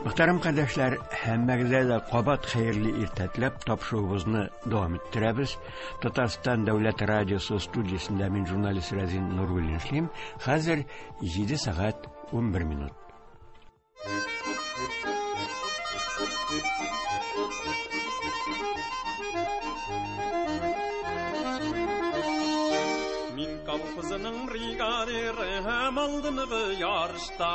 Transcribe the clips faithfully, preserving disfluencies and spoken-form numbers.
Мөхтәрәм кардәшләр, һәммәгезгә дә кабат хәерле иртә теләп тапшыруыбызны дәвам иттерәбез. Татарстан дәүләт радиосы студиясендә мин журналист Разин Нуруллин эшлим. Хәзер җиде сәгать унбер минут. Колхозының бригадиры һәм алдынгы ярышта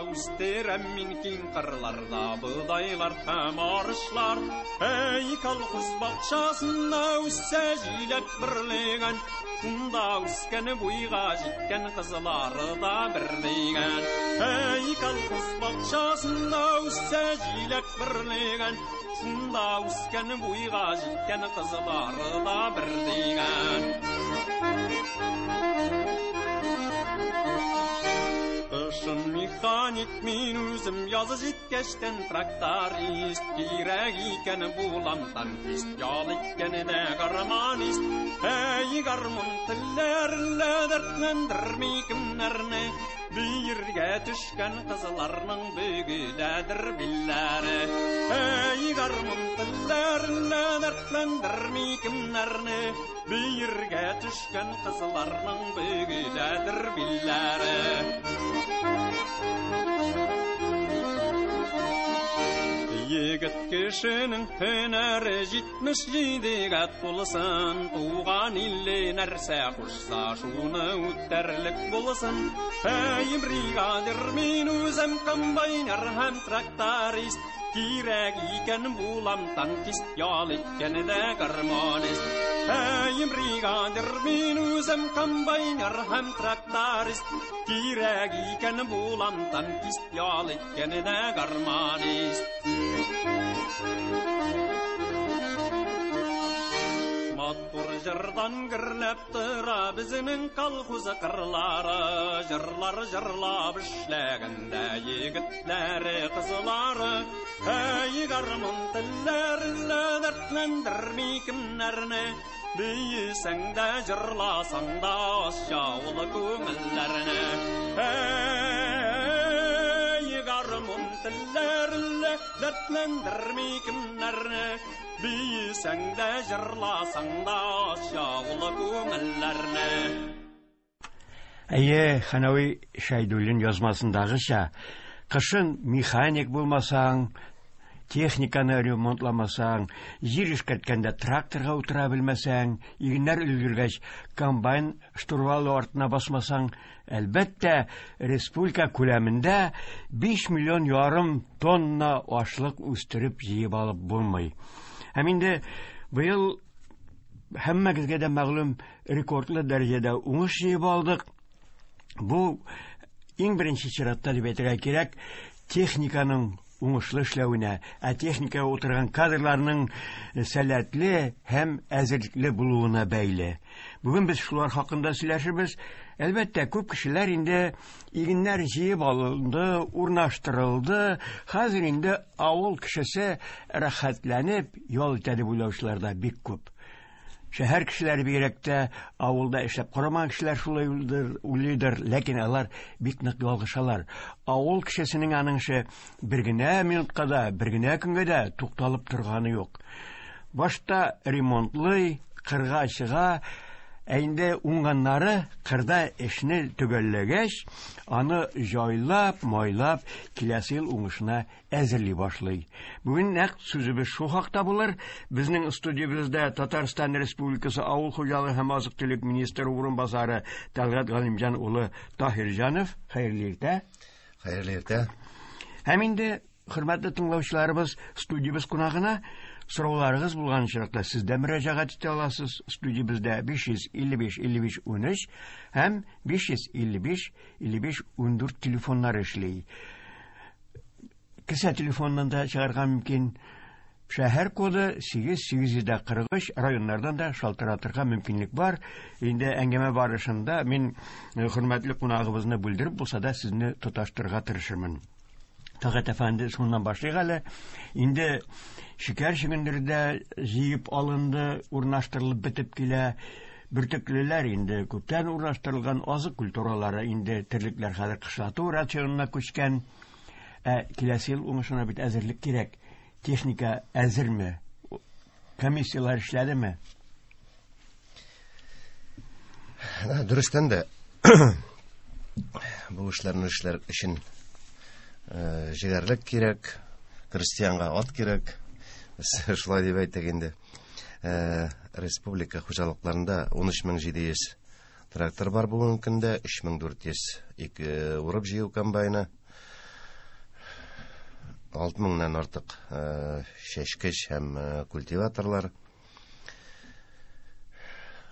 үстерәм мин киң кырларда бодайлар һәм арышлар. Әй, колхоз бакчасында үссә җиләк берлегән, шунда үскән буйга җиткән кызлары да берлегән. Әй, колхоз бакчасында үссә җиләк берлегән, шунда үскән буйга җиткән кызлары да берлегән. Кышын механик мин үзем, язы җиткәчтән тракторист, кирәк икән булам танкист, ял иткән дә гармонист. Әй, гармун телләрелә дәртләндерми кемнәрне, биергә төшкән кызларның бөгеләдер билләре. Әй, гармун телләрелә дәртләндерми кемнәрне, биергә төшкән кызларның бөгеләдер билләре. Егет кешенең һөнәре җитмеш җидегә тулсын, туган иле нәрсә кушса, шуны үтәрлек булсын. Әй, бригадир мин үзем, комбайнер һәм тракторист, кирәк икән булам танкист, ял иткән дә гармонист. Әй, бригадир мин үзем, комбайнер һәм тракторист, кирәк икән булам танкист, ял иткән дә гармонист. Матур җырдан гөрләп тора безнең колхоз кырлары, җырлар җырлап эшләгәндә егетләре, кызлары. Әй, гармун телләрелә дәртләндерми кемнәрне, биесәң дә җырласаң да ашаулы күңелләрне. Әй, гармун телләрелә дәртләндерми кемнәрне, биесәң дә җырласаң да ашаулы күңелләрне. Әйе, Ханави Шәйдуллин язмасындагыча, кышын механик булмасаң, техниканы ремонтламасаң, җир эшкәрткәндә тракторга утыра белмәсәң, игеннәр өлгергәч комбайн штурвалы артына басмасаң, әлбәттә, республика күләмендә биш миллион ярым тонна ашлык үстереп җыеп алып булмый. Һәм инде быел һәммәгезгә дә мәгълүм рекордлы дәрәҗәдә уңыш җыеп алдык. Бу иң беренче чиратта дип әйтергә кирәк, техниканың уңышлы эшләвенә, ә техникага утырган кадрларның сәләтле һәм әзерлекле булуына бәйле. Бүген без шулар хакында сөйләшербез. Әлбәттә, күп кешеләр инде игеннәр җыеп алынды, урнаштырылды. Хәзер инде авыл кешесе рәхәтләнеп ял итә дип уйлаучылар да бик күп. Шәһәр кешеләре бигрәк тә авылда эшләп карамаган кешеләр шулай уйлыйдыр, ләкин алар бик нык ялгышалар. Авыл кешесенең аның эше бер генә минутка да, бер генә көнгә дә тукталып торганы юк. Башта ремонтлый, кырга чыга, ә инде уңганнары кырда эшне төгәлләгәч, аны җайлап, майлап киләсе ел уңышына әзерли башлый. Бүген нәкъ сүзебез шул хакта булыр. Безнең студиябездә Татарстан Республикасы Авыл хуҗалыгы һәм азык-төлек министры урынбасары Тәлгать Галимҗан улы Таһирҗанов. Хәерле иртә. Хәерле иртә. Һәм инде хөрмәтле тыңлаучыларыбыз, студиябез кунагына сорауларыгыз булган очракта сез дә мөрәҗәгать итә аласыз. Студиябездә биш йөз илле биш илле биш унөч һәм биш йөз илле биш илле биш ундүрт телефоннары эшли. Кесә телефоннан да чыгарга мөмкин. Шәһәр коды сигез сигез йөз дә кырык өч, районнардан да шалтыратырга мөмкинлек бар. Инде әңгәмә барышында мин хөрмәтле кунагыбызны бүлдереп булса да сезне тоташтырырга тырышырмын. Тәлгать әфәнде, шуннан башлыйк әле. Инде шикәр чөгендере дә җыеп алынды, урнаштырылып бетеп килә. Бөртеклеләр инде күптән урнаштырылган, азык культуралары инде терлекләр хәзер кышлату рационына күчкән. Ә киләсе ел уңышына бит әзерлек кирәк. Техника әзерме? Комиссиялар эшләдеме? Дөрестән дә бу эшләрне эшләр өчен җегәрлек кирәк, крестьянга ат кирәк. Шулай дип әйтик инде. Республика хуҗалыкларында ун өч мең җиде йөз трактор бар бүгенге көндә, өч мең дүрт йөз ике урып җыю комбайны, алты меңнән артык чәчкеч һәм культиваторлар.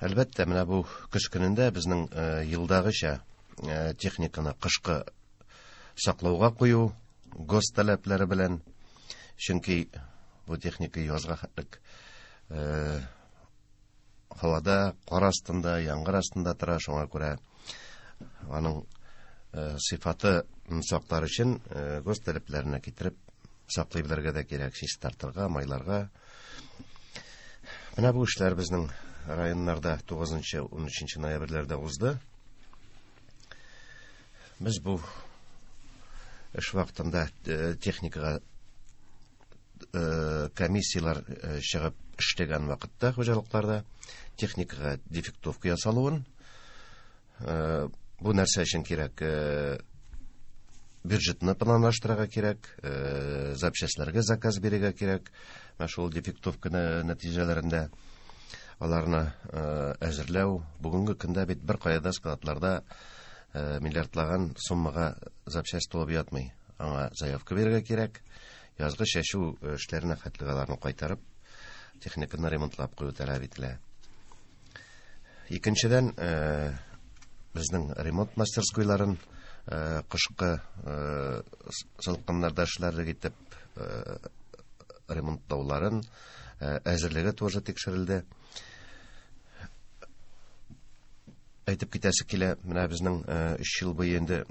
Әлбәттә, менә бу көз көнендә безнең елдагыча техниканы кышкы саклауга кую гос таләпләре белән, чөнки бу техника язга хәтлек һавада, кар астында, яңгыр астында тора, шуңа күрә аның сыйфаты саклар өчен гос таләпләренә китереп саклый белергә дә кирәк, чистартырга, майларга. Менә бу эшләр безнең районнарда тугызынчы, ун өченче ноябрьләрдә узды. Без бу эш вакытында техникага комиссиялар чыгып эшләгән вакытта хуҗалыкларда техникага дефектовка ясалуын, бу нәрсә өчен кирәк? Бюджетны планлаштырырга кирәк, запчастьләргә заказ бирергә кирәк. Менә шул дефектовка нәтиҗәләрендә аларны әзерләү. Бүгенге көндә бит бер кая да складларда миллиардлаган суммага запчасть тулып ятмый. Аңа заявка бирергә кирәк. Язгы чәчү эшләренә хәтле аларны кайтарып, техниканы ремонтлап кую таләп ителә. Икенчедән, безнең ремонт мастерскойларын кышкы салкыннарда эшләрлек итеп ремонтлауларын әзерлеге тоже тикшерелде. Әйтеп китәсе килә, менә безнең өч ел буе инде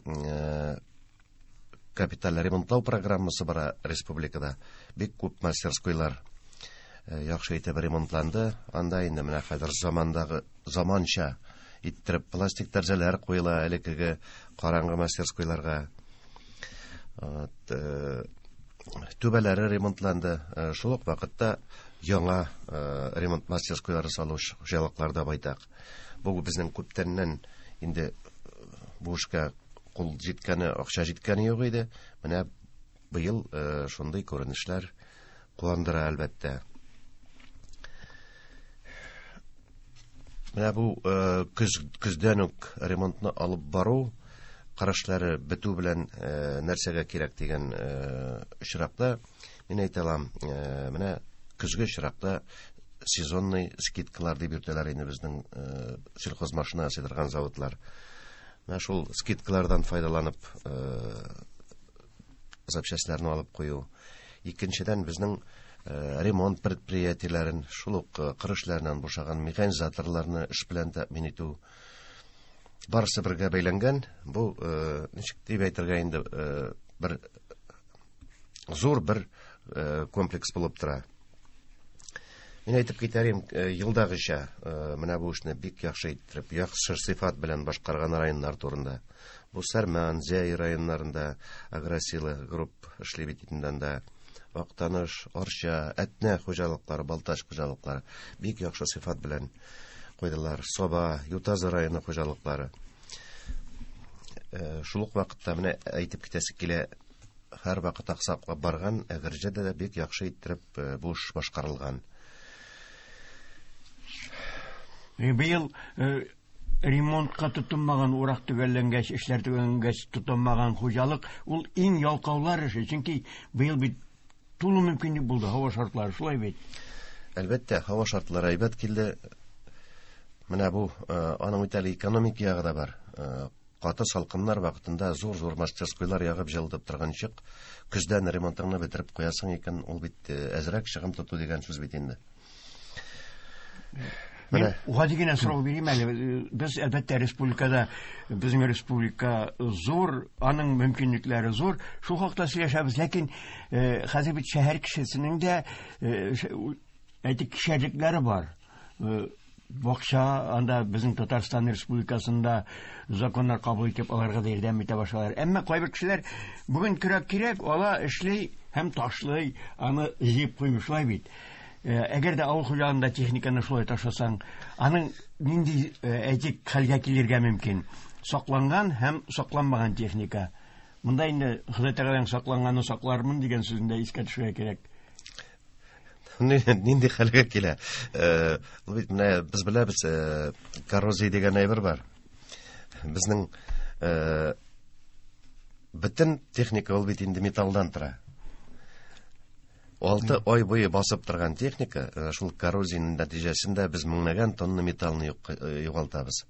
капиталь ремонтлау программасы бара республикада. Бик күп мастерскойлар яхшы итеп ремонтланды. Анда инде менә хәзер замандагы заманча иттереп пластик тәрәзәләр куела элеккеге караңгы мастерскойларга. Түбәләре ремонтланды. Шул ук вакытта яңа ремонт мастерскойлары салу хуҗалыкларда байтак. Бу безнең күптәннән инде бу эшкә кул җиткәне, акча җиткәне юк иде. Менә быел шундый күренешләр куандыра әлбәттә. Менә бу көз, көздән үк ремонтны алып бару, карашлары бетү белән нәрсәгә кирәк дигән очракта, мин әйтә алам, менә көзге очракта сезонный скидкалар дип йөртәләр инде безнең сельхозмашина ясый заводлар. Менә шул скидкалардан файдаланып запчастьларны алып кую. Икенчедән, безнең ремонт предприятиеләрен, шул ук кыр эшләреннән бушаган механизаторларны эш белән тәэмин итү. Барысы бергә бәйләнгән. Бу ничек дип әйтергә инде, бер зур бер комплекс булып тора. Мин әйтеп китәрим, елдагыча менә бу эшне бик яхшы иттереп, яхшы сыйфат белән башкарган районнар турында. Бу Сарман, Зәй районнарында Агросила групп эшли бит инде. Актаныш, Арча, Әтнә хуҗалыклары, Балтач хуҗалыклары бик яхшы сыйфат белән куйдылар. Саба, Ютазы районы хуҗалыклары. Шул ук вакытта менә әйтеп китәсе килә, һәр вакыт аксаклап барган Әгерҗедә дә бик яхшы иттереп бу эш башкарылган. Быел ремонтка тотынмаган, урак төгәлләнгәч, эшләр төгәлләнгәч тотынмаган хуҗалык ул иң ялкаулар эше, чөнки быел бит тулы мөмкинлек булды, һава шартлары шулай бит. Әлбәттә, һава шартлары әйбәт килде. Менә бу аның бит әле экономик ягы да бар. Каты салкыннар вакытында зур-зур мастерскойлар ягып җылытып торганчык, көздән ремонтыңны бетереп куясың икән, ул бит әзрәк чыгым тоту дигән сүз бит инде. Мин гади генә сорау бирим әле. Без әлбәттә республикада, безнең республика зур, аның мөмкинлекләре зур. Шул хакта сөйләшәбез, ләкин хәзер бит шәһәр кешесенең дә әйтик кишәрлекләре бар. Бакча, анда безнең Татарстан Республикасында законнар кабул итеп, аларга да ярдәм итә башлар. Әмма кайбер кешеләр бүген көрәк кирәк, ала эшли һәм ташлый, аны җыеп куймый, шулай бит. Әгәр дә авыл хуҗалыгында техниканы шулай ташласаң, аның нинди, әйтик, хәлгә килергә мөмкин? Сакланган һәм сакланмаган техника. Монда инде Ходай Тәгаләнең сакланганны саклармын дигән сүзен дә искә төшерергә кирәк. Нинди хәлгә килә? Ул бит менә без беләбез, коррозия дигән әйбер бар. Безнең бөтен техника ул бит инде металлдан тора. Алты ай буе басып торган техника, шул коррозиянең нәтиҗәсендә без меңләгән тонна металлны югалтабыз.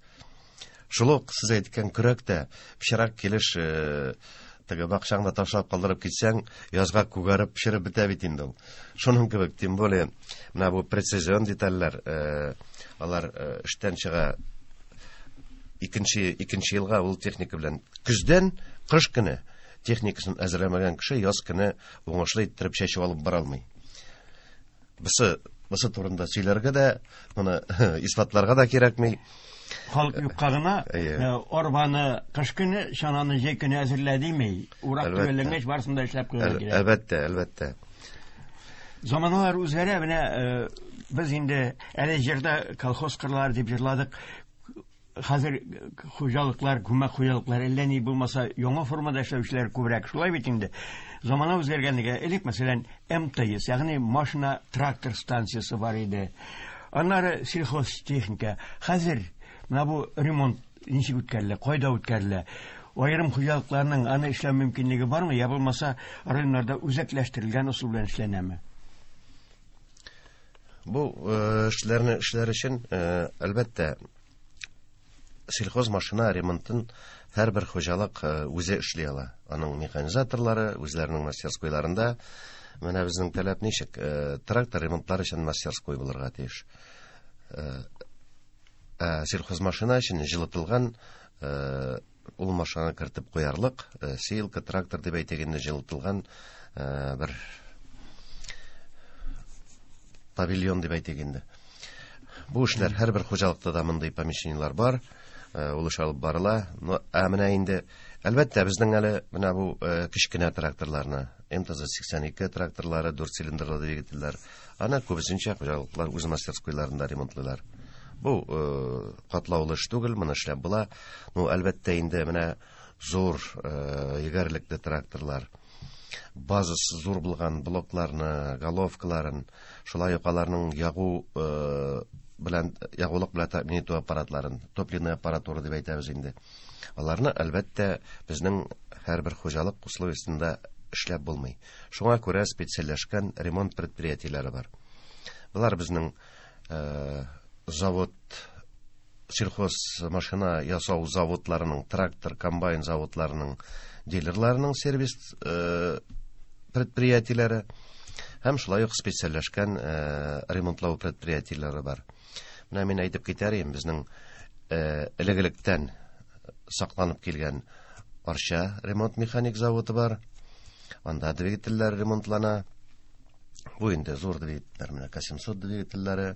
Шул ук сез әйткән көрәк тә пычрак килеш теге бакчаңда ташлап калдырып китсәң, язга күгәреп пешереп бетә бит инде ул. Шуның кебек, тем более, менә бу прецизион детальләр, алар эштән чыга икенче, икенче елга ул техника белән. Көздән кыш көне техникасын әзерләмәгән кеше яз көне уңышлы иттереп чәчеп алып бара алмый. Бусы, бусы турында сөйләргә дә, моны исбатларга да кирәкми. Халык юкка гына арбаны кыш көне, чананы җәй көне әзерлә дими. Урак төгәлләнгәч барысын да эшләп куярга кирәк. Әлбәттә, әлбәттә. Заманалар үзгәрә, менә без инде әле җырда колхоз кырлары дип җырладык. Хәзер хуҗалыклар, күмәк хуҗалыклар әллә ни булмаса яңа формада эшләүчеләр күбрәк. Шулай бит инде. Замана үзгәргәнлеге, элек, мәсәлән, эм тэ эс, ягъни машина трактор станциясе бар иде. Аннары сельхозтехника. Хәзер менә бу ремонт ничек үткәрелә, кайда үткәрелә? Аерым хуҗалыкларның аны эшләү мөмкинлеге бармы, я булмаса районнарда үзәкләштерелгән ысул белән эшләнәме? Бу эшләрне эшләр өчен, әлбәттә, сельхозмашина ремонтын һәрбер хуҗалык үзе эшли ала. Аның механизаторлары үзләренең мастерскойларында. Менә безнең таләп ничек? Трактор ремонтлар өчен мастерской булырга тиеш. Ә сельхозмашина өчен җылытылган ул машинаны кертеп куярлык, сеялка, трактор дип әйтик инде, җылытылган бер павильон дип әйтик инде. Бу эшләр һәрбер хуҗалыкта да мондый помещениелар бар, ул эш алып барыла. Но, ә менә инде, әлбәттә, безнең әле менә бу кечкенә тракторларны, эм тэ зэ сиксән ике тракторлары, дүрт цилиндрлы двигательләр, аны күбесенчә хуҗалыклар үз мастерскойларында ремонтлыйлар. Бу катлаулы эш түгел, моны эшләп була. Ну, әлбәттә инде менә зур егәрлекле тракторлар, базасы зур булган блокларны, головкаларын, шулай ук аларның ягу белән, ягулык белән тәэмин итү аппаратларын, топливный аппаратура дип әйтәбез инде. Аларны әлбәттә безнең һәрбер хуҗалык условиясендә эшләп булмый. Шуңа күрә специальләшкән ремонт предприятиеләре бар. Болар безнең завод, сельхоз машина ясау заводларының, трактор, комбайн заводларының дилерларының сервис предприятиеләре һәм шулай ук специальләшкән ремонтлау предприятиеләре бар. Менә мин әйтеп китәр идем, безнең элек-электән сакланып килгән Арча ремонт механик заводы бар. Анда двигательләр ремонтлана. Бу инде зур двигательләр, менә ка семьсот двигательләре,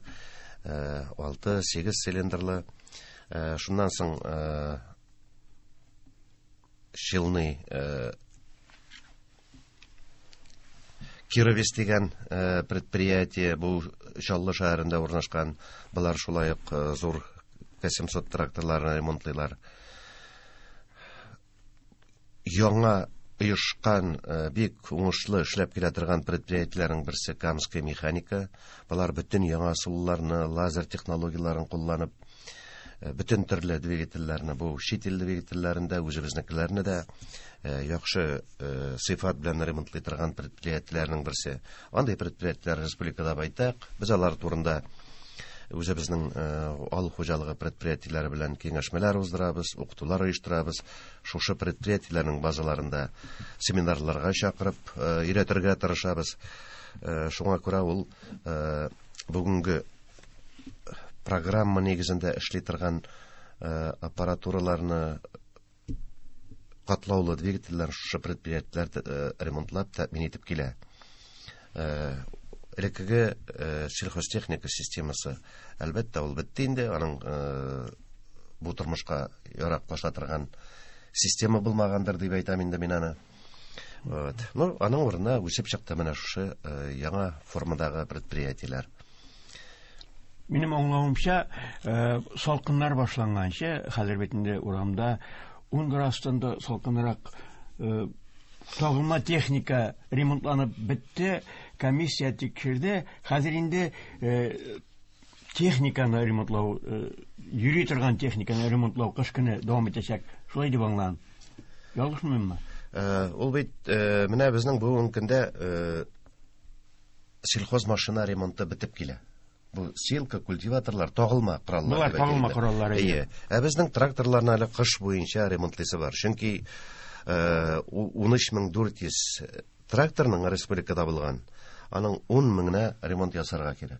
алты, сигез цилиндрлы. Шуннан соң Челны Кировец дигән предприятие, бу Чаллы шәһәрендә урнашкан. Болар шулай ук зур ка семьсот тракторларын ремонтлыйлар. Яңа оешкан, бик уңышлы эшләп килә торган предприятиеләрнең берсе Камская механика. Болар бөтен яңа ысулларны, лазер технологияләрен кулланып, бөтен төрле двигательләрне, бу чит ил двигательләрен дә, үзебезнекеләрне дә яхшы сыйфат белән ремонтлый торган предприятиеләрнең берсе. Андый предприятиеләр республикада байтак. Без алар турында үзебезнең авыл хуҗалыгы предприятиеләре белән киңәшмәләр уздырабыз, укытулар оештырабыз. Шушы предприятиеләрнең базаларында семинарларга чакырып өйрәтергә тырышабыз. Шуңа күрә ул бүгенге программа нигезендә эшли торган аппаратураларны, катлаулы двигательләр шушы предприятиеләр ремонтлап тәэмин итеп килә. Элеккеге сельхозтехника системасы, әлбәттә, ул бетте инде, аның бу тормышка яраклаша торган система булмагандыр дип әйтәм инде мин аны. Вот. Ну, аның урынына үсеп чыкты менә шушы яңа формадагы предприятиеләр. Минем аңлавымча, салкыннар башланганчы, хәзер бит инде урамда ун градустан да салкынрак, тагылма техника ремонтланып бетте, комиссия тикшерде. Хәзер инде техниканы ремонтлау, йөри торган техниканы ремонтлау кыш көне дәвам итәчәк. Шулай дип аңлам. Ялгышмыйммы? Ул бит менә безнең бүгенге көндә сельхозмашина ремонты бетеп килә. Бу силка, культиваторлар, тагылма кораллар. Булар тагылма кораллар. Әйе. Ә безнең тракторларны әле кыш буенча ремонтлыйсы бар. Чөнки ун өч мең дүрт йөз тракторның республикада булган, аның ун меңенә ремонт ясарга кирәк.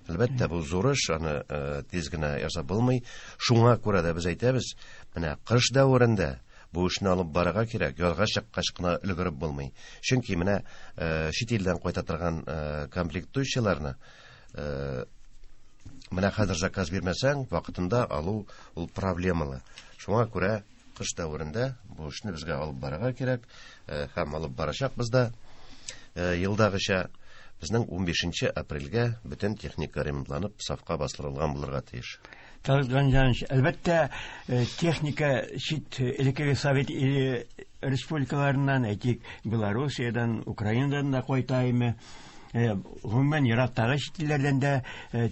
Әлбәттә, бу зур эш, аны тиз генә ясап булмый. Шуңа күрә дә без әйтәбез, менә кыш дәверендә бу эшне алып барырга кирәк, язга чыккач кына өлгереп булмый. Чөнки менә чит илдән кайта торган комплектующийларны менә хәзер заказ бирмәсәң, вакытында алу ул проблемалы. Шуңа күрә кыш дәверендә бу эшне безгә алып барырга кирәк, һәм алып барачакбыз да. Елдагыча безнең ун бишенче апрельгә бөтен техника ремонтланып сафка бастырылган булырга тиеш. Талгат Галимҗанович, әлбәттә, техника чит элеккеге совет республикаларыннан, әйтик, Белоруссиядан, Украинадан да кайта име. Гомумән, ерактагы чит илләрдән дә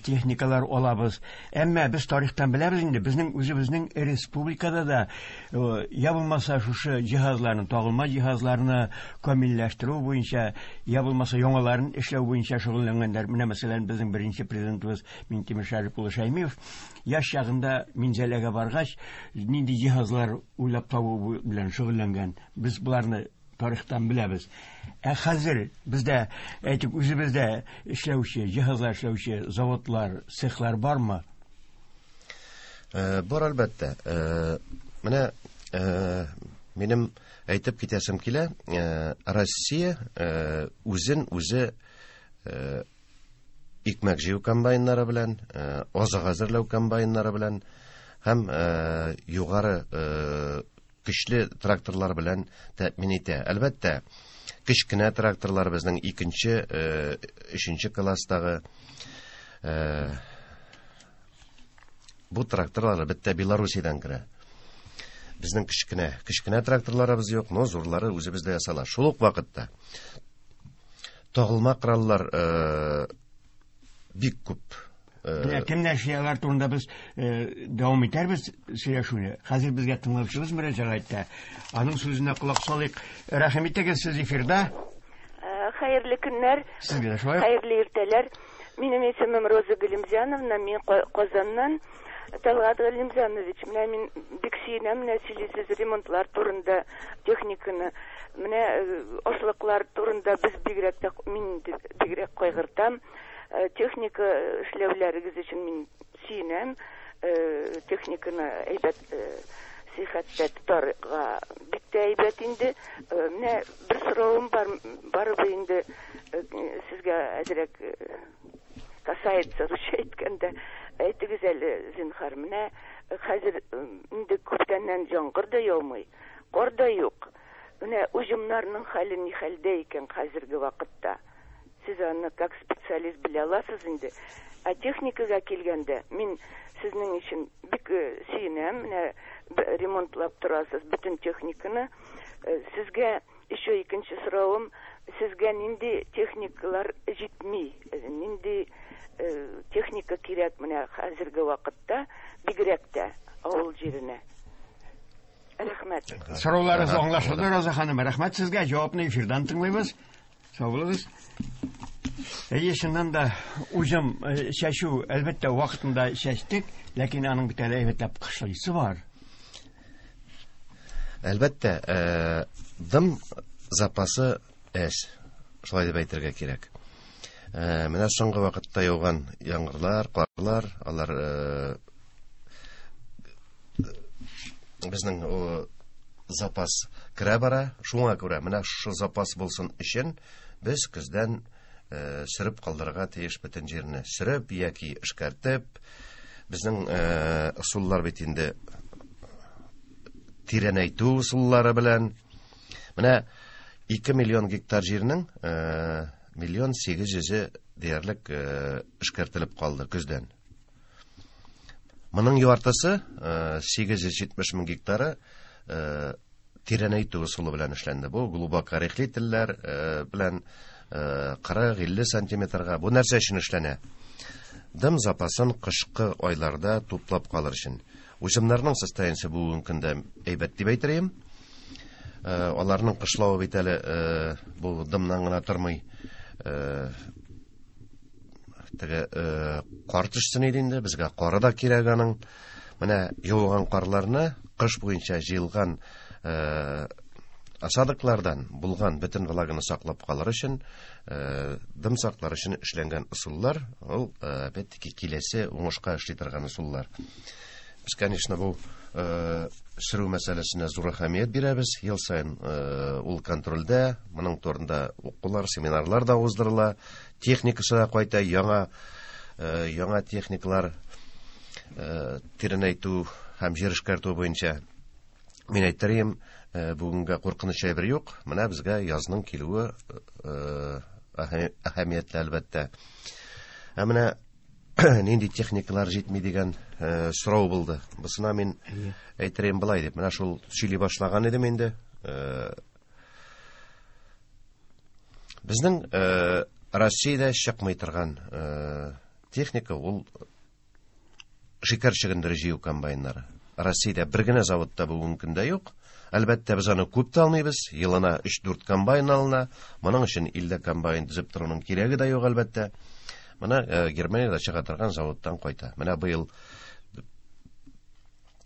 техникалар алабыз. Әмма без тарихтан беләбез инде, безнең үзебезнең республикада да я булмаса шушы җиһазларны, тагылма җиһазларны камилләштерү буенча, я булмаса яңаларын эшләү буенча шөгыльләнгәннәр. Менә мәсәлән, безнең беренче президентыбыз Минтимер Шәрипулло улы Шәймиев яшь чагында Минзәләгә баргач, нинди җиһазлар уйлап табу белән шөгыльләнгән. Без боларны тарихтан беләбез. Ә хәзер бездә, әйтик, үзебездә эшләүче, җиһазлар эшләүче заводлар, цехлар бармы? Бар, әлбәттә. Менә минем әйтеп китәсем килә, Россия үзен үзе икмәк җыю комбайннары белән, азык әзерләү комбайннары белән һәм югары көчле тракторлар белән тәэмин итә. Әлбәттә, кечкенә тракторлар безнең икенче, өченче класстагы бу тракторлар бетте Белоруссиядән керә. Безнең кечкенә, кечкенә тракторларыбыз юк, но зурлары үзебездә ясала. Шул ук вакытта тагылма кораллар бик күп. Менә кемнәр эшләр турында без дәвам итәрбез сөйләшүне. Хәзер безгә тыңлаучыбыз мөрәҗәгать итә. Аның сүзенә колак салыйк. Рәхим итегез, сез эфирда. Хәерле көннәр. Сезгә дә шулай. Хәерле иртәләр. Минем исемем Роза Галимзяновна, мин Казаннан. Талгат Галимзянович, менә мин бик сөенәм, менә сөйлисез ремонтлар турында, техниканы, менә ашлыклар турында без бигрәк тә, мин бигрәк кайгыртам. Техника эшләүләрегез өчен мин сөенәм, техниканы әйбәт сихәттә тотарга бик тә әйбәт инде. Менә бер соравым бар, барыбер инде сезгә әзрәк касается, русча әйткәндә. Әйтегез әле, зинһар, менә хәзер инде күптәннән яңгыр да яумый, кар да юк. Менә уҗымнарның хәле ни хәлдә икән хәзерге вакытта? Сез аны как специалист белә аласыз инде. Ә техникага килгәндә, мин сезнең өчен бик сөенәм, менә ремонтлап торасыз бөтен техниканы. Сезгә еще икенче соравым, сезгә нинди техникалар җитми, нинди техника кирәк менә хәзерге вакытта, бигрәк тә авыл җиренә? Рәхмәт. Сорауларыгыз аңлашылды, Роза ханым. Рәхмәт сезгә. Җавапны эфирдан тыңлыйбыз. Сау булыгыз. Әйе, чыннан да уҗым чәчү, әлбәттә, вакытында чәчтек, ләкин аның бит әле әйбәтләп кышлыйсы бар. Әлбәттә, дым запасы әз, шулай дип әйтергә кирәк. Менә соңгы вакытта яуган яңгырлар, карлар, алар безнең запас керә бара. Шуңа күрә менә шушы запас булсын өчен без көздән сөреп калдырырга тиеш бөтен җирне. Сөреп яки эшкәртеп, безнең ысуллар бит инде тирәнәйтү ысуллары белән. Менә ике миллион гектар җирнең миллион сигез йөзе диярлек эшкәртелеп калды көздән. Моның яртысы сигез йөз җитмеш мең гектары тирәнәйтү ысулы белән эшләнде. Бу глубокорыхлительләр белән кырык илле сантиметрга. Бу нәрсә өчен эшләнә? Дым запасын кышкы айларда туплап калыр өчен. Уҗымнарның состояниесе бүгенге көндә әйбәт дип әйтер. Аларның кышлавы бит әле бу дымнан гына тормый. Теге кар төшсен иде инде, безгә кары да кирәк аның. Менә юылган карларны кыш буенча җыелган осадоклардан булган бөтен влаганы саклап калыр өчен, дым саклар өчен эшләнгән ысуллар, ул опять-таки киләсе уңышка эшли торган ысуллар. Без, конечно, бу сөрү мәсьәләсенә зур әһәмият бирәбез. Ел саен ул контрольдә, моның турында укулар, семинарлар да уздырыла, техникасы да кайта, яңа яңа техникалар тирәнәйтү һәм җир эшкәртү буенча. Мин әйтерем, бүгенгә куркыныч әйбер юк. Менә безгә язның килүе әһәмиятле әлбәттә. Ә менә нинди техникалар җитми дигән сорау булды. Бусына мин әйтерем былай дип. Менә шул сөйли башлаган идем инде. Безнең Россиядә чыкмый торган техника ул шикәр чөгендере җыю комбайннары. Россиядә бер генә заводта бүгенге көндә юк. Әлбәттә, без аны күп тә алмыйбыз. Елына өч-дүрт комбайн алына. Моның өчен илдә комбайн төзеп торуның кирәге дә юк, әлбәттә. Менә Германиядә чыга торган заводтан кайта. Менә быел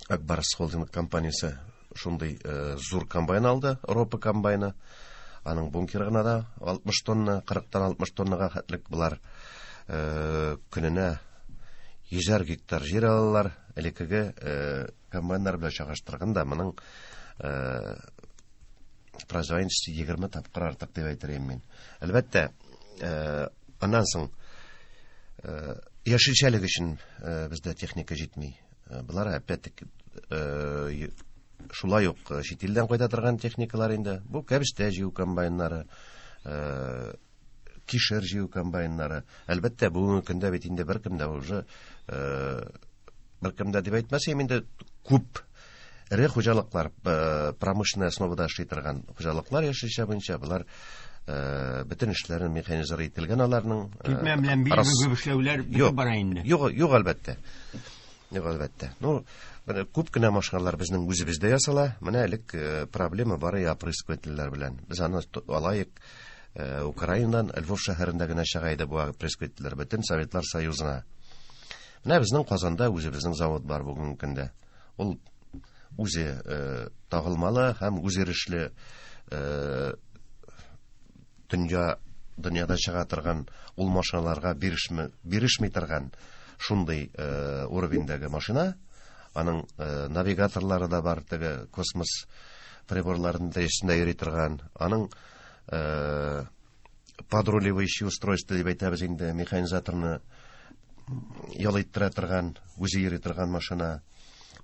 Акбарс холдинг компаниясе шундый зур комбайн алды, Европа комбайны. Аның бункеры гына да алтмыш тонна, кырыктан алтмыш тоннага хәтлек булар. Көненә йөзәр гектар җир алалар. Элеккеге комбайннар белән чагыштырганда моның производительности егерме тапкыр артык дип әйтер идем мин. Әлбәттә, аннан соң яшелчәлек өчен бездә техника җитми. Булар опять-таки шулай ук чит илдән кайта торган техникалар инде. Бу кәбестә җыю комбайннары, кишер җыю комбайннары. Әлбәттә, бүгенге көндә бит инде беркем дә уже беркем дә дип әйтмәсәм инде күп эре хуҗалыклар, промышленная основада эшли торган хуҗалыклар яшелчә буенча булар бөтен эшләрен механизир ителгән аларның. Китмә белән бил бөгеп эшләүләр бетеп бара инде. Юк, юк әлбәттә. Юк әлбәттә. Ну, күп кенә машиналар безнең үзебездә ясала. Менә элек проблема бар опрыскивательләр белән. Без аны алайык Украинадан, Львов шәһәрендә генә чыга иде бу опрыскивательләр бөтен Советлар Союзына. Менә безнең Казанда үзебезнең завод бар бүгенге көндә. Ул үзе тагылмалы һәм үзйөрешле дөнья дөньяда чыга торган ул машиналарга бирешми, бирешми торган шундый уровеньдәге машина. Аның навигаторлары да бар, теге космос приборларының дәрәҗәсендә йөри торган. Аның подруливающий устройство дип әйтәбез инде, механизаторны ял иттерә торган, үзе йөри торган машина.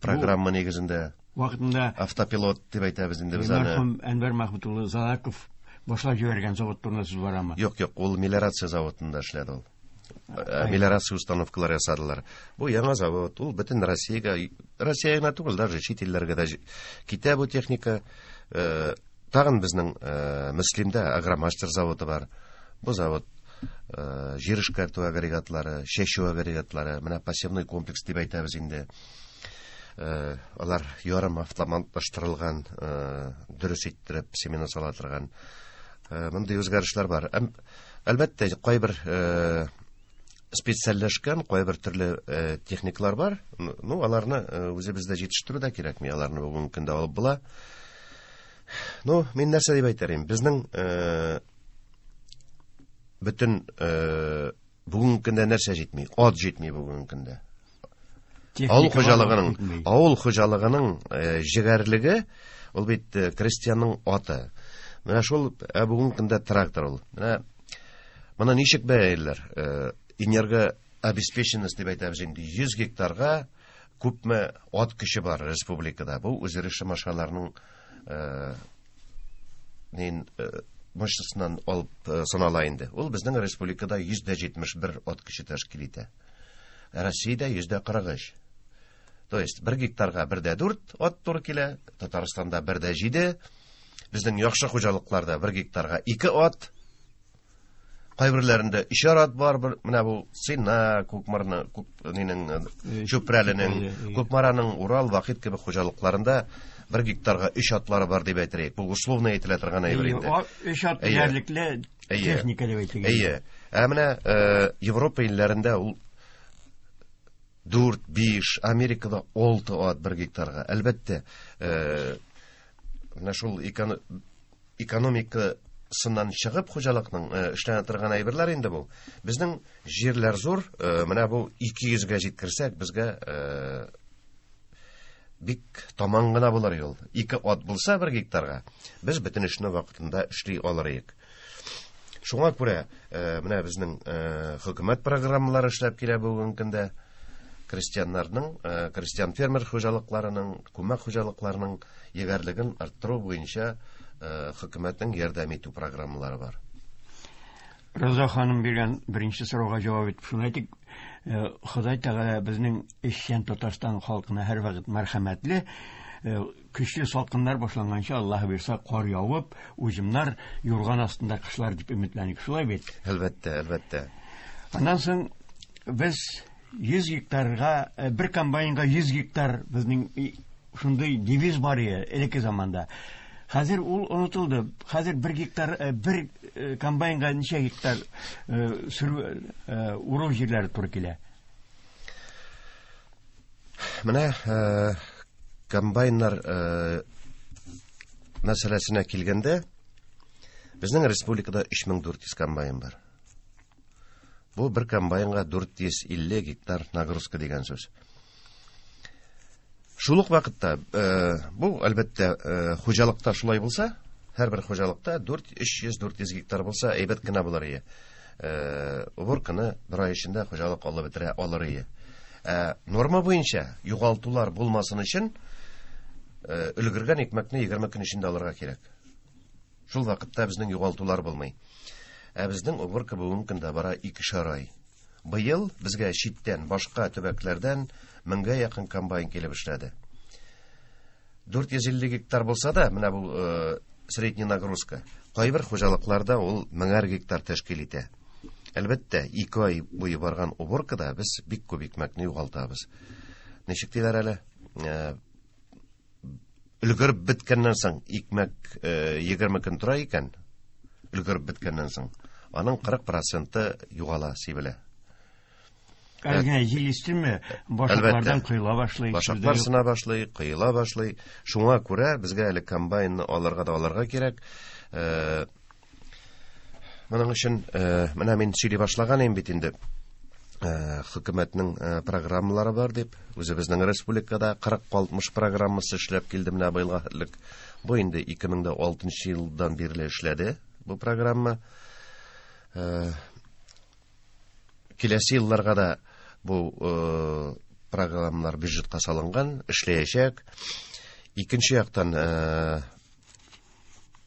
Программа нигезендә вакытында автопилот дип әйтәбез инде без аны. Мәрхүм Әнвәр Мәхмүт улы Залаков башлап җибәргән завод турында сүз барамы? Юк, юк, ул мелиорация заводында эшләде ул. Мелиорация установкалары ясадылар. Бу яңа завод, ул бөтен Россиягә, Россиягә генә түгел, даже чит илләргә дә китә бу техника. Тагын безнең Мөслимдә Агромастер заводы бар. Бу завод җир эшкәртү агрегатлары, чәчү агрегатлары, менә пассивный комплекс дип әйтәбез инде. Алар ярым автоматлаштырылган, дөрес иттереп семена сала торган. Мондый үзгәрешләр бар. Әлбәттә, кайбер специальләшкән, кайбер төрле техникалар бар. Ну, аларны үзебездә җитештерү дә кирәкми, аларны бүгенге көндә алып була. Ну, мин нәрсә дип әйтер идем? Безнең бөтен бүгенге көндә нәрсә җитми? Ат җитми бүгенге көндә. Авыл хуҗалыгының, авыл хуҗалыгының җегәрлеге ул бит крестьянның аты. Менә шул бүгенге көндә трактор ул. Менә Моны ничек бәялиләр? Энергообеспеченность дип әйтәбез инде. йөз гектарга күпме ат көче бар республикада. Бу үзйөрешле машиналарның нин мощностьнан алып санала инде. Ул безнең республикада йөз дә җитмеш бер ат көче тәшкил итә. Россиядә йөз дә кырык өч. То есть бер гектарга бер дә дүрт ат туры килә, Татарстанда бер дә җиде. Безнең яхшы хуҗалыкларда бер гектарга ике ат. Кайберләрендә өчәр ат бар, бер, менә бу Сина, Кукмарны, Кук, нинең, Чүпрәленең, Кукмараның, Урал, Вахит кебек хуҗалыкларында бер гектарга өч атлары бар дип әйтер. Бу условно әйтелә торган әйбер инде. Өч ат диярлек техника дип әйтелгән. Әйе. Ә менә Европа илләрендә ул дүрт, биш, Америкада алты ат бер гектарга. Әлбәттә, менә шул экономика сыннан чыгып хуҗалыкның эшләнә торган әйберләр инде бу. Безнең җирләр зур, менә бу ике йөзгә җиткерсәк, безгә бик таман гына булыр юл. Ике ат булса бер гектарга, без бөтен эшне вакытында эшли алыр идек. Шуңа күрә, менә безнең хөкүмәт программалары эшләп килә бүгенге көндә. Крестьяннарның, крестьян фермер хуҗалыкларының, күмәк хуҗалыкларының егәрлеген арттыру буенча хөкүмәтнең ярдәм итү программалары бар. Роза ханым биргән беренче сорауга җавап итеп шуны әйтик, Ходай Тәгалә безнең эшчән Татарстан халкына һәрвакыт мәрхәмәтле, көчле салкыннар башланганчы Аллаһ бирсә кар явып, уҗымнар юрган астында кышлар дип өметләник. Шулай бит? Әлбәттә, әлбәттә. Аннан соң без йөз гектарга, бер комбайнга йөз гектар безнең шундый девиз бар иде элекке заманда. Хәзер ул онытылды. Хәзер бер гектар, бер комбайнга ничә гектар сөрү, уру җирләре туры килә? Менә комбайннар мәсьәләсенә килгәндә, безнең республикада өч мең дүрт йөз комбайн бар. Бу бер комбайнга дүрт йөз илле гектар нагрузка дигән сүз. Шул ук вакытта, бу әлбәттә хуҗалыкта шулай булса, һәрбер хуҗалыкта дүрт, өч йөз, дүрт йөз гектар булса, әйбәт кенә булыр иде. Уборканы бер ай эчендә хуҗалык алып бетерә алыр иде. Норма буенча югалтулар булмасын өчен өлгергән икмәкне егерме көн эчендә алырга кирәк. Шул вакытта безнең югалтулар булмый. Ә безнең уборка бүгенге көндә бара икешәр ай. Быел безгә читтән, башка төбәкләрдән меңгә якын комбайн килеп эшләде. Дүрт йөз илле гектар булса да, менә бу средний нагрузка. Кайбер хуҗалыкларда ул меңәр гектар тәшкил итә. Әлбәттә, ике ай буе барган уборкада без бик күп икмәкне югалтабыз. Ничек диләр әле? Өлгереп беткәннән соң икмәк егерме көн тора икән, өлгереп беткәннән соң аның кырык проценты югала, сибелә. Әлгә җил истеме, башаклардан коела башлый. Башаклар сына башлый, коела башлый. Шуңа күрә безгә әле комбайнны алырга да алырга кирәк. Моның өчен менә мин сөйли башлаган идем бит инде. Хөкүмәтнең программалары бар дип, үзебезнең республикада кырык алтмыш программасы эшләп килде менә быелга элек. Бу инде ике мең дә алтынчы елдан бирле эшләде бу программа. Киләсе елларга да бу программалар бюджетка салынган, эшләячәк. Икенче яктан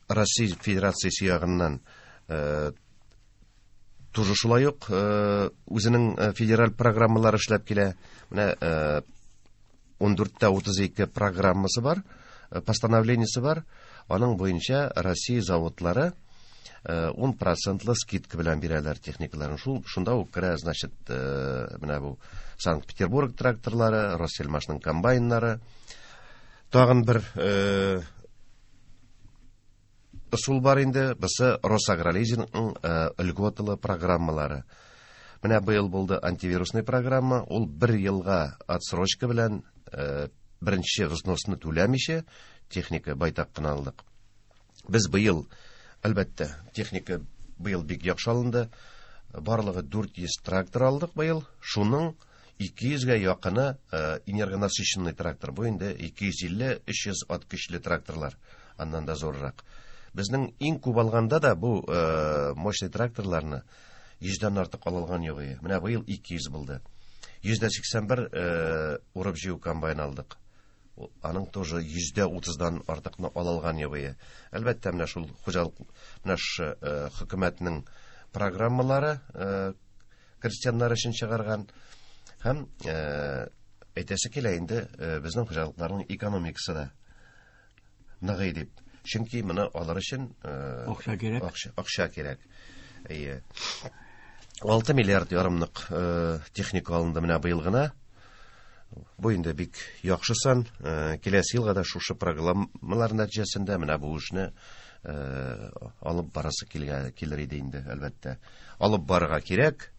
Россия Федерациясе ягыннан тоже шулай ук үзенең федераль программалары эшләп килә. Менә ун дүрттә утыз ике программасы бар, постановлениесе бар. Аның буенча Россия заводлары ун процентлы скидка белән бирәләр техникаларын. Шул шунда ук керә, значит, менә бу Санкт-Петербург тракторлары, Россельмашның комбайннары. Тагын бер ысул бар инде, бусы Росагролизингның льготалы программалары. Менә быел булды антивирусный программа, ул бер елга отсрочка белән беренче взносны түләмичә техника байтак кына алдык. Без быел, әлбәттә, техника быел бик яхшы алынды. Барлыгы дүрт йөз трактор алдык быел. Шуның ике йөзгә якыны энергонасыщенный трактор. Бу инде ике йөз илле, өч йөз ат көчле тракторлар, аннан да зуррак. Безнең иң күп алганда да бу мощный тракторларны йөздән артык алылган юк иде. Менә быел ике йөз булды. Йөз дә сиксән бер урып җыю комбайн алдык. Аның тоже йөздә утыздан артыкны алылган юк иде. Әлбәттә, менә шул хуҗалык, менә шушы хөкүмәтнең программалары крестьяннар өчен чыгарган. Һәм әйтәсе килә инде, безнең хуҗалыкларның экономикасы да ныгый дип. Чөнки моны алыр өчен акча кирәк. Акча, акча кирәк. Әйе. Алты миллиард ярымлык техника алынды менә быел гына. Бу инде бик яхшы сан. Киләсе елга да шушы программалар нәтиҗәсендә менә бу эшне алып барасы килер иде инде, әлбәттә. Алып барырга кирәк.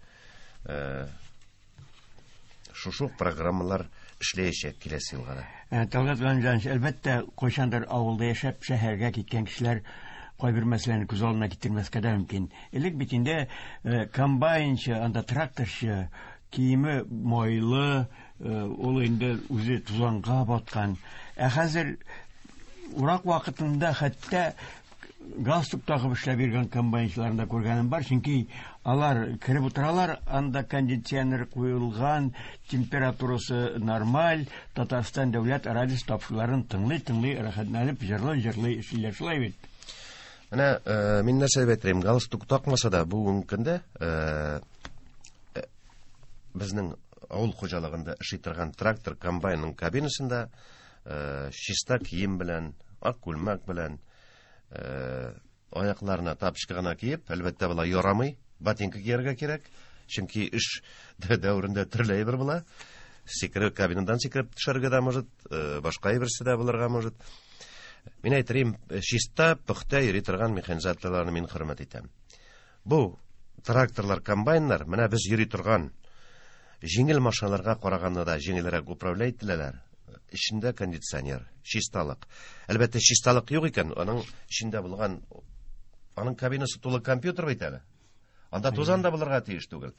Шушы программалар эшләячәк киләсе елга да. Талгат Галимҗанович, әлбәттә, кайчандыр авылда яшәп, шәһәргә киткән кешеләр кайбер мәсьәләне күз алдына китермәскә дә мөмкин. Элек бит инде комбайнчы, анда тракторчы, киеме майлы, ул инде үзе тузанга баткан. Ә хәзер урак вакытында хәтта галстук тагып эшләп йөргән комбайнчыларны да күргәнем бар, чөнки алар кереп утыралар, анда кондиционер куелган, температурасы нормаль, Татарстан дәүләт радиосы тапшыруларын тыңлый-тыңлый рәхәтләнеп җырлый-җырлый эшлиләр, шулай бит. Менә, мин нәрсә дип әйтер идем, галстук такмаса да бүгенге көндә безнең авыл хуҗалыгында эшли торган трактор комбайнның кабинасында чиста кием белән, ак күлмәк белән, аякларына тапочка гына киеп, әлбәттә, болай ярамый, ботинка кияргә кирәк, чөнки эш дәверендә төрле әйбер була. Сикереп, кабинадан сикереп төшәргә дә может, башка әйберсе дә булырга может. Мин әйтерим, чиста, пөхтә йөри торган механизаторларны мин хөрмәт итәм. Бу тракторлар, комбайннар, менә без йөри торган җиңел машиналарга караганда да җиңелрәк управлять ителәләр. Эчендә кондиционер, чисталык. Әлбәттә, чисталык юк икән, аның эчендә булган, аның кабинасы тулы компьютер бит әле. Анда тузан да булырга тиеш түгел.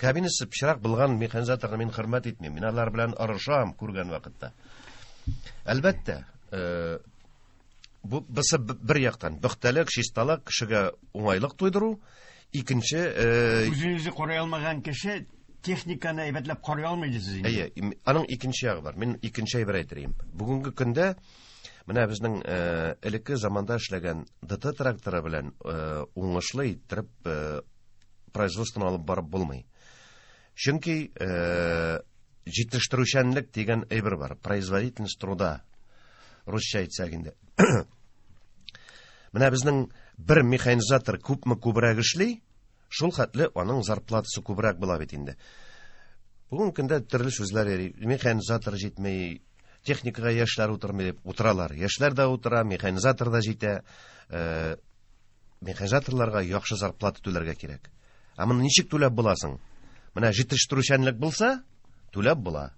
Кабинасы пычрак булган механизаторны мин хөрмәт итмим. Мин алар белән орышам күргән вакытта. Әлбәттә, бу бысы бер яктан пөхтәлек, чисталык, кешегә уңайлык тудыру, икенче, үзен үзе карый алмаган кеше техниканы әйбәтләп карый алмый дисез инде. Әйе, аның икенче ягы бар. Мин икенче әйбер әйтер идем. Бүгенге көндә менә безнең элекке заманда эшләгән Д Т тракторы белән уңышлы иттереп производствоны алып барып булмый. Чөнки җитештерүчәнлек дигән әйбер бар, производительность труда, русча әйтсәк инде. Менә безнең бер механизатор күпме күбрәк эшли, шул хәтле аның зарплатасы күбрәк була бит инде. Бүгенге көндә төрле сүзләр йөри. Механизатор җитми, техникага яшьләр утырмый дип утыралар. Яшьләр дә утыра, механизатор да җитә. Э, механизаторларга яхшы зарплата түләргә кирәк. Ә моны ничек түләп буласың? Менә җитештерүчәнлек булса, түләп була.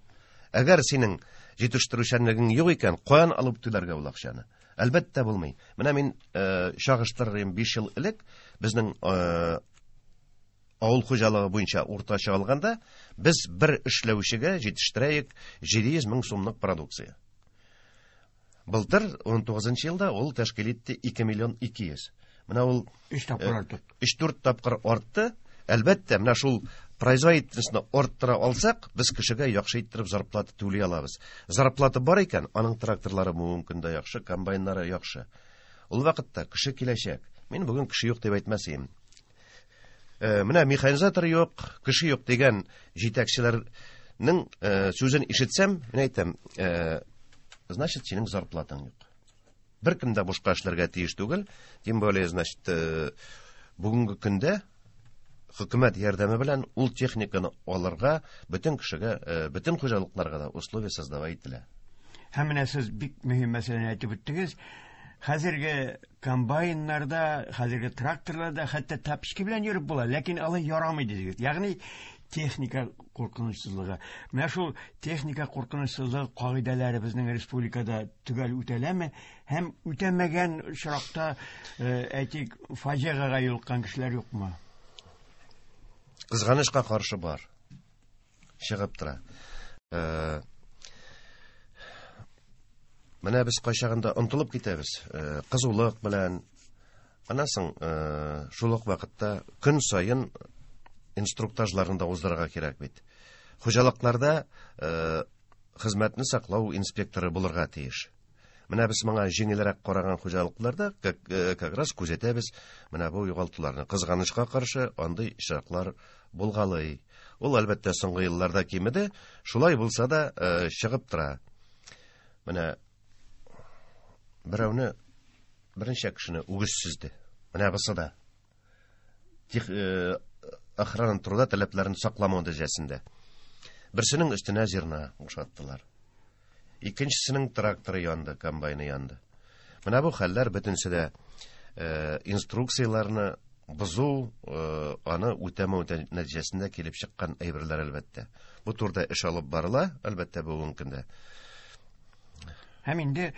Әгәр синең җитештерүчәнлегең юк икән, каян алып түләргә ул акчаны? Әлбәттә булмый. Менә мин, э, чагыштырырым, биш ел элек безнең, э, авыл хуҗалыгы буенча уртача алганда без бер эшләүчегә җитештерәек җиде йөз мең сумлык продукция. Былтыр ун тугызынчы елда ул тәшкил итте ике миллион ике йөз. Менә ул Өч тапкыр э, артты. өч-дүрт тапкыр артты. Әлбәттә, менә шул производительностьны арттыра алсак, без кешегә яхшы иттереп зарплата түли алабыз. Зарплата бар икән, аның тракторлары бүгенге көндә яхшы, комбайннары яхшы. Ул вакытта кеше киләчәк. Мин бүген кеше юк дип әйтмәс идем. Э, менә механизатор юк, кеше юк дигән җитәкчеләрнең, э, сүзен ишетсәм, мин әйтәм, э, значит, синең зарплатаң юк. Беркем дә бушка эшләргә тиеш түгел, тем более, значит, э, бүгенге көндә хөкүмәт ярдәме белән ул техниканы алырга бөтен кешегә, э, бөтен хуҗалыкларга да условия создавать ителә. Һәм менә сез бик мөһим мәсьәләне әйтеп үттегез. Хәзерге комбайннарда, хәзерге тракторларда хәтта тапочки белән йөреп була, ләкин алай ярамый дидегез. Ягъни техника куркынычсызлыгы. Менә шул техника куркынычсызлыгы кагыйдәләре безнең республикада төгәл үтәләме? Һәм үтәмәгән очракта, э, әйтик, фаҗигагә юлыккан кешеләр юкмы? Кызганычка каршы бар. Чыгып тора. Э, менә без кайчагында онытылып китәбез. Э, кызулык белән. Аннан соң, э, шул ук вакытта көн саен Инструктажларын да уздырырга кирәк бит. Хуҗалыкларда хезмәтне саклау инспекторы булырга тиеш. Менә без моңа җиңелрәк караган хуҗалыкларда как, как раз күзәтәбез менә бу югалтуларны. Кызганычка каршы андый очраклар булгалый. Ул әлбәттә соңгы елларда кимеде, шулай булса да чыгып тора. Менә берәүне берничә кешене үгез сөзде. Менә бусы да тех, охрана труда таләпләрен сакламау нәтиҗәсендә. Берсенең өстенә зерна бушаттылар. Икенчесенең тракторы янды, комбайны янды. Менә бу хәлләр бөтенесе дә инструкцияләрне бозу, аны үтәмәү нәтиҗәсендә килеп чыккан әйберләр әлбәттә. Бу турыда эш алып барыла, әлбәттә, бүгенге көндә. Һәм инде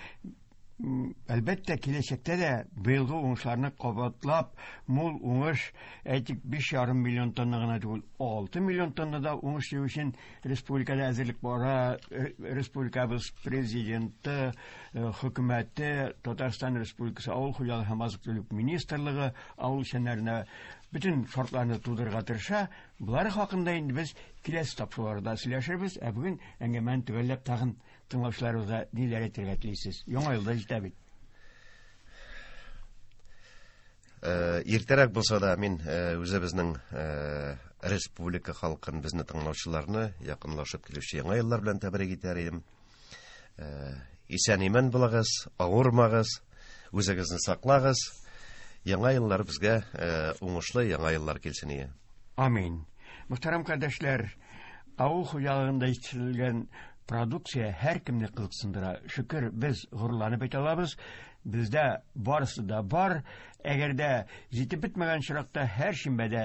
әлбәттә киләчәктә дә быелгы уңышларны кабатлап, мул уңыш, әйтик, биш ярым миллион тонна гына түгел, алты миллион тонна да уңыш җыю өчен республикада әзерлек бара. Республикабыз президенты, хөкүмәте, Татарстан Республикасы Авыл хуҗалыгы һәм азык-төлек министрлыгы авыл эшчәннәренә бөтен шартларны тудырырга тырыша. Болар хакында инде без киләсе тапшыруларда сөйләшербез. Ә бүген әңгәмәне төгәлләп тагын тыңлаучыларыбызга ниләр әйтергә телисез? Яңа елда җитә бит. Иртәрәк булса да мин үзебезнең республика халкын, безне тыңлаучыларны якынлашып килүче яңа еллар белән тәбрик итәр идем. Исән-имән булыгыз, авырмагыз, үзегезне саклагыз. Яңа еллар безгә уңышлы яңа еллар килсен ие. Амин. Мөхтәрәм кардәшләр, авыл хуҗалыгында җитештерелгән продукция һәркемне кызыксындыра. Шөкер, без горурланып әйтә алабыз, бездә барысы да бар. Әгәр дә җитеп бетмәгән очракта һәр шимбәдә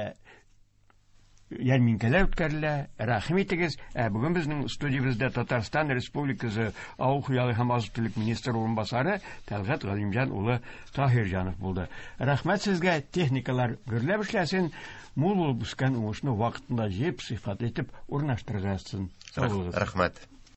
ярминкәләр үткәрелә. Рәхим итегез. Ә бүген безнең студиябездә Татарстан Республикасы Авыл хуҗалыгы һәм азык-төлек министры урынбасары Тәлгать Галимҗан улы Таһирҗанов булды. Рәхмәт сезгә, техникалар гөрләп эшләсен, мул булып үскән уңышны вакытында җыеп, сыйфатлы итеп урнаштырырга язсын. Сау булыгыз. Рәхмәт.